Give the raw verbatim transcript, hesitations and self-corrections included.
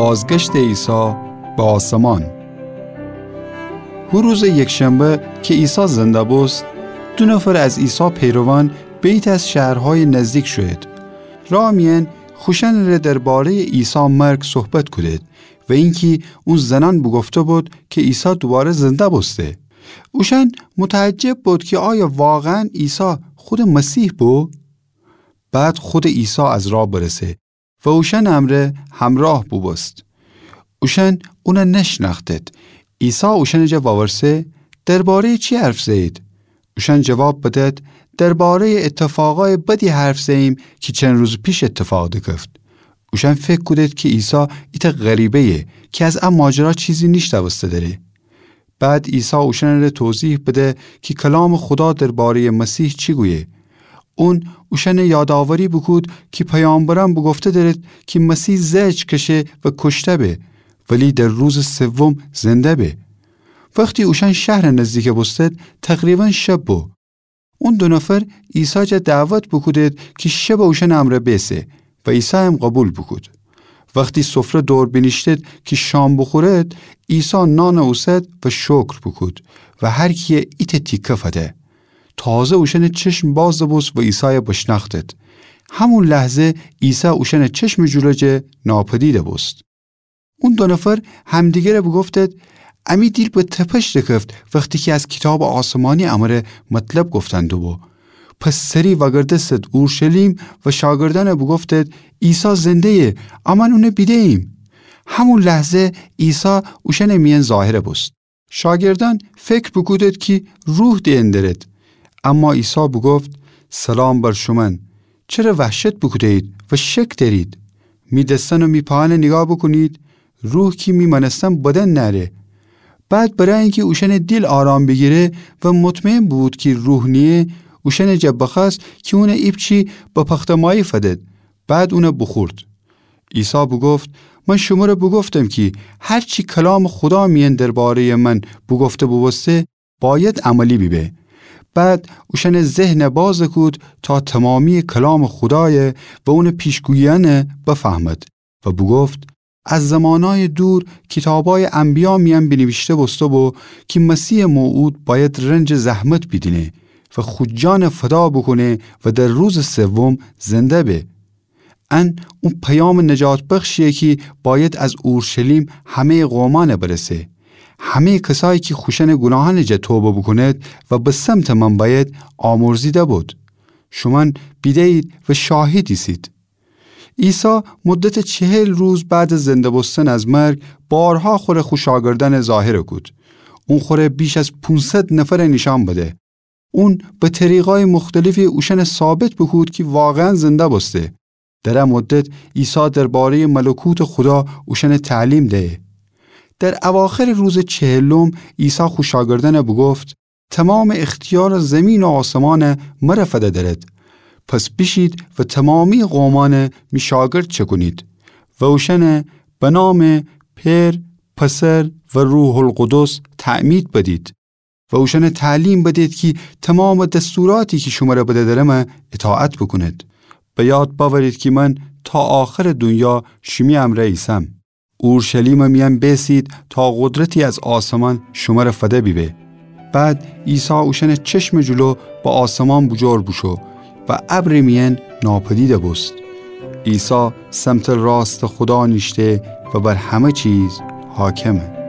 بازگشتٚ عیسی به آسمان. هو روزٚ یکشنبه کی عیسی زنده بوست، دو نفر از عیسی پیروان به ایتأ از شهرهایٚ نزدیک شویید. راه میأن خوشأنٚره درباره‌یٚ عیسی مرگ صحبت کودید و اینکی اون زنأن بوگفته بود کی عیسی دوواره زنده بوسته. اوشأن متعجب بود کی آیا واقعاً عیسی خودٚ مسیح بو؟ بعد خودٚ عیسی از راه برسه و اوشأنٚ امرأ همراه بوبوست. اوشأن اونَ نشنأختید. عیسی اوشأنٚ جا وورسه: درباره‌یٚ چی حرف زه‌یید؟ اوشأن جواب بدید: درباره‌یٚ ایتفاقأیٚ بدی حرف زه‌ییم کی چند روزٚ پیش ایتفاق دکفت. اوشأن فکر کودید کی عیسی ایتأ غریبه‌یه کی از ا ماجرا چیزی نیشنوسته دره. بعد عیسی اوشأنٚره توضیح بده کی کلامٚ خودا درباره‌یٚ مسیح چی گویه. اون اوشأنَ یادآوری بوکود کی پیامبرأن بوگفته درید کی مسیح زهج کشه و کوشته به، ولی در روزٚ سوم زنده به. وختی اوشأن شهرٚ نزدیک بوستید، تقریباً شب بو. اون دو نفر عیسی جا دعوت بوکودید کی شبَ اوشأنٚ امرأ بیسه و عیسی هم قوبیل بوکود. وختی سفره دور بینیشتید کی شام بوخورید، عیسی نانَ اوسد و شکر بوکود و هر کیَ ایتأ تیکه فده. تازه اوشأنٚ چشم بازَ بوست و عیسایَ بشنأختید. همون لحظه عیسی اوشأنٚ چشمٚ جلو جه ناپدیدَ بوست. اون دو نفر همدیگرَ بوگفتید: امی دیل به تپش دکفت وختی کی از کیتابٚ آسمانی امره مطلب گفتن دوبو. پس سری وأگردستید اورشلیم و شاگردأنَ بوگفتید: عیسی زنده‌یه، امأن اونَ بیده‌ییم. همون لحظه عیسی اوشأنٚ میأن ظاهر بوست. شاگردأن فکر بوکودید کی روح دئن درید. اما عیسی بوگفت: سلام بر شومأن، چره وحشت بوکوده‌یید و شک دأرید؟ می دسأن و می پاهأنَ نیگاه بوکونید، روح کی می مأنستن بدن نأره. بعد برای اینکی اوشأنٚ دیل آرام بیگیره و مطمئن بوبود کی روح نییه، اوشأنٚ جا بخوأست کی اونَ ایپچی به پخته‌مایی فدید. بعد اونَ بوخورد. عیسی بوگفت: من شمره بوگفتم کی هر چی کلامٚ خودا میأن درباره‌یٚ من بوگفته بوبوسته، بأید عملی بیبه. بعد اوشأنٚ ذهنَ بازَ کود تا تومامییٚ کلامٚ خودایَ و اونٚ پیشگوییأنَ بفهمید و بوگفت: از زمانأیٚ دور کیتابأیٚ انبیا میأن بینیویشته بوسته بو کی مسیحٚ موعود بأید رنجٚ زحمت بیدینه و خو جانَ فدا بوکونه و در روزٚ سوم زنده به. ان او پیامٚ نجات بخشییه کی بأید از اورشلیم همه‌یٚ قومأنَ برسه. همه‌یٚ کسایی کی خوشأنٚ گوناهأنٚ جا توبه بوکونید و به سمتٚ من بأید، آمرزیده بود. شومأن بیده‌یید و شاهد ایسید. عیسی مدتٚ چهل روز بعدٚ زنده بوستن از مرگ بارها خوره خو شاگردأنَ ظاهر کود. اون خوره بیش از پونصد نفرَ نیشأن بده. اون به طریقأیٚ مختلفی اوشأنَ ثابت بوکود کی واقعاً زنده بوسته. در ا مدت عیسی درباره‌یٚ ملکوتٚ خودا اوشأنَ تعلیم دهه. در اواخرٚ روزٚ چهلم عیسی خو شاگردأنَ بوگفت: تومامٚ اختیارٚ زیمین و آسمانَ مره فده درید. پس بیشید و تومامییٚ قومأنَ می شاگرد چکونید و اوشأنَ به نامٚ پئر، پسر و روح‌القدس تعمید بدید و اوشأنَ تعلیم بدید کی تومامٚ دستوراتی کی شمره بده درمه اطاعت بوکونید. به یاد بأورید کی من تا آخرٚ دونیا شیمی امرأ ایسم. اورشلیمٚ میأن بیسید تا قدرتی از آسمان شمره فده بیبه. بعد عیسی اوشأنٚ چشمٚ جلو به آسمان بوجور بوشو و ابرٚ میأن ناپدید بوست. عیسی سمتٚ راستٚ خودا نیشته و بر همه چیز حاکمه.